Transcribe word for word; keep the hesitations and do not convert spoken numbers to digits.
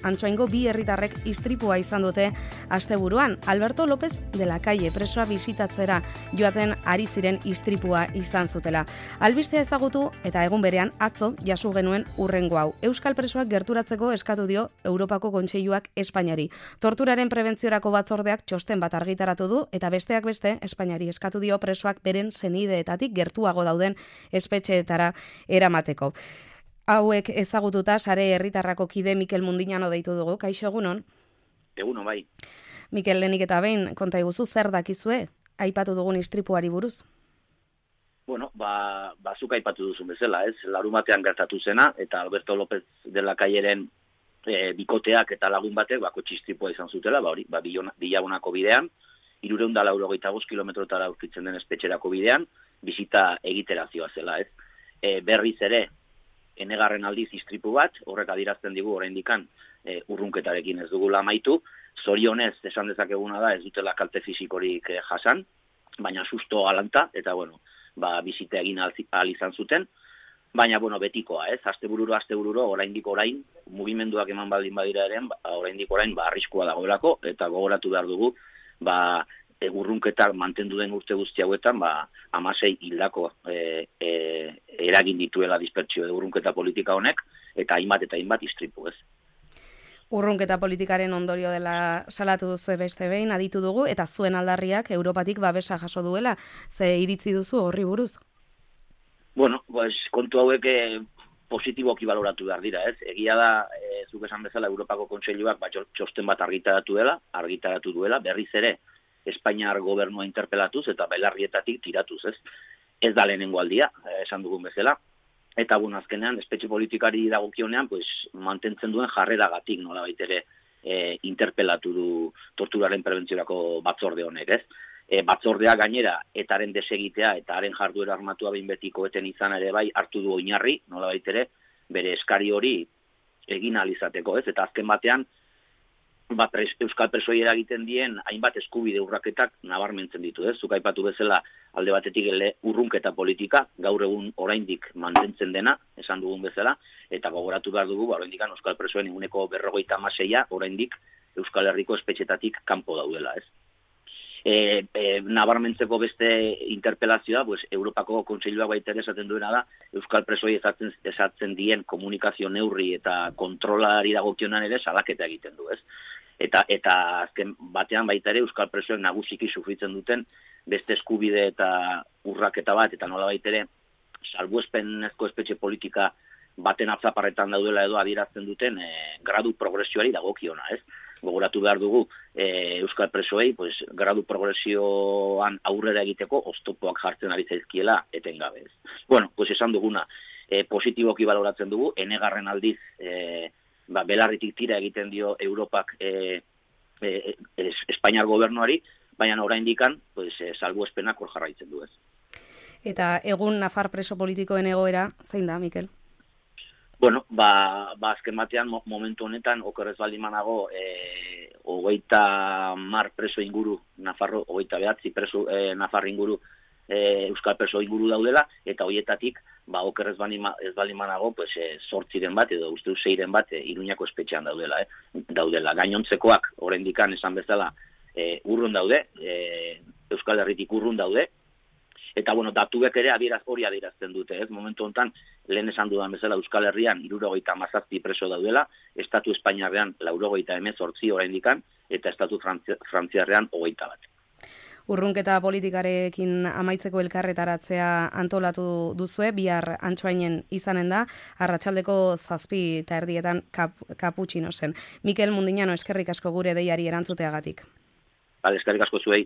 Antsoaingo bi herritarrek istripua izan dute asteburuan. Alberto López de la Calle presoa bisitatzera joaten ari ziren istripua izan zutela. Albistea ezagutu eta egun berean atzo jasu genuen urrengo hau. Euskal presoak gerturatzeko eskatu dio Europako Kontseiluak Espainiari. Torturaren prebentziorako batzordeak txosten bat argitaratu du eta besteak beste Espainiari eskatu dio presoak beren senideetatik gertuago dauden espetxeetara eramateko. Hauek ezagututa sare herritarrako kide Mikel Mundiñano deitu dugu. Kaixo, egunon? Egunon, bai. Mikel, lehenik eta behin, konta iguzu, zer dakizue? Aipatu dugun istripuari buruz? Bueno, ba, bazuk aipatu duzun bezala, ez? Larumatean gertatu zena, eta Alberto López de la Calleren e, bikoteak eta lagun batek, bako txistripua izan zutela, ba hori, ba, Bilabonako bidean, hirurehun eta laurogeita bost kilometrotara aurkitzen den espetxerako bidean, bizita egitera zioa, ez? E, berriz ere, enegarren aldiz istripu bat, horrek adirazten digu oraindikan e, urrunketarekin ez dugula amaitu, zorionez esan dezakeguna da ez dutela kalte fisikorik e, jasan, baina susto alanta, eta bueno, ba, bizita egin ahal izan zuten, baina bueno, betikoa, ez, astebururo, astebururo, oraindik orain, mugimenduak eman baldin badira eren, ba, oraindik orain, ba, arriskua dagoelako, eta gogoratu behar dugu, ba, urrunketak mantendu den urte guzti hauetan, ba, hamasei hildako e, e, eragin dituela dispertsio urrunketa politika honek, eta hainbat eta hainbat istripu, ez. Urrunketa politikaren ondorio dela salatu duzu beste behin, aditu dugu, eta zuen aldarriak Europatik babesa jaso duela, ze iritzi duzu horri buruz? Bueno, pues, kontu hauek eh, positiboki baloratu behar dira, ez. Egia da, e, zuk esan bezala, Europako Kontseiluak ba, txosten bat argitaratu dela, argitaratu duela, berriz ere, Espainiar gobernua interpelatuz eta belarrietatik tiratuz, ez? Ez da lehenengo aldia, esan dugun bezala. Eta bueno, azkenean, espetxe politikari dagokionean, pues, mantentzen duen jarreragatik, nolabait ere, e, interpelatu du torturaren prebentziorako batzorde honek, ez? E, batzordea gainera, etaren desegitea eta haren jarduera armatua behin betiko eten izan ere bai, hartu du oinarri, nolabait ere, bere eskari hori egin ahal izateko, ez? Eta azken batean, ba, pres, Euskal presoi eragiten dien hainbat eskubide urraketak nabarmentzen ditu, ez? Zuk aipatu bezala alde batetik ele urrunketa politika, gaur egun oraindik mantentzen dena, esan dugun bezala, eta gogoratu behar dugu, ba, oraindik Euskal presoen eguneko berrogeita hamaseia oraindik Euskal Herriko espetxetatik kanpo daudela, ez? E, e, nabarmentzeko beste interpelazioa, pues, Europako Kontseiluak baita ere esaten duena da, Euskal presoi esatzen, esatzen dien komunikazio neurri eta kontrolari dagokionan ere salaketa egiten du, ez? Eta, eta azken batean baita ere Euskal presoek nagusiki sufritzen duten beste eskubide eta urraketa bat, eta nola baita ere salbuespenezko espetxe politika baten atzaparretan daudela edo adierazten duten e, gradu progresioari dagokiona, ez? Gogoratu behar dugu e, Euskal presoei, pues, gradu progresioan aurrera egiteko oztopoak jartzen ari zaizkiela etengabe, ez? Bueno, pues esan duguna, e, positiboki baloratzen dugu, enegarren aldiz e, ba, belarritik tira egiten dio Europak e, e, e, Espainiar gobernuari, baina oraindikan pues, e, salbuespenak hor jarraitzen du, ez. Eta egun Nafar preso politikoen egoera, zein da, Mikel? Bueno, ba, ba azken batean momentu honetan, okerrez baldin manago, e, hogeita mar preso inguru, Nafarro, hogeita behatzi preso e, Nafar inguru, e, Euskal preso inguru daudela, eta hoietatik, ba, okerrez baldin manago, pues, e, sortziren bat, edo uste zeiren bat, e, Iruñako espetxean daudela, eh? daudela. Gainontzekoak, oraindikan esan bezala, e, urrun daude, e, Euskal Herritik urrun daude, eta, bueno, datuek ere adieraz, hori adierazten dute, ez? Momentu honetan, lehen esan dudan bezala, Euskal Herrian hirurogeita hamazazpi preso daudela, Estatu Espainiarrean laurogeita hemezortzi oraindikan, eta Estatu Frantziarrean hogeita bat. Urrunketa politikarekin amaitzeko elkarretaratzea antolatu duzue, bihar Antsoainen izanen da, arratsaldeko zazpi eta erdietan kap, kaputxino zen. Mikel Mundiñano, eskerrik asko gure deiari erantzuteagatik. Bale, eskerrik asko zuei.